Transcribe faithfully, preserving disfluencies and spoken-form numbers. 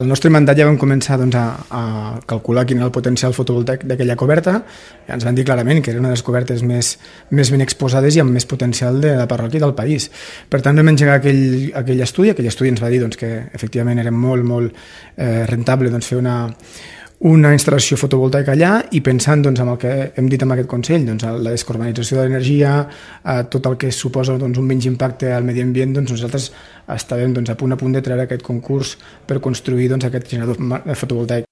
El nostre mandat ja vam començar doncs, a, a calcular quin era el potencial fotovoltaic d'aquella coberta i ens van dir clarament que era una de les cobertes més, més ben exposades i amb més potencial de la parròquia del país. Per tant, vam engegar aquell, aquell estudi. Aquell estudi ens va dir doncs, que efectivament era molt, molt eh, rentable doncs, fer una, una instal·lació fotovoltaica allà i pensant doncs, en el que hem dit amb aquest Consell, doncs, la descarbonització de l'energia, eh, tot el que suposa doncs, un menys impacte al medi ambient, doncs, nosaltres estàvem doncs, a punt a punt de treure aquest concurs per construir doncs, aquest generador fotovoltaic.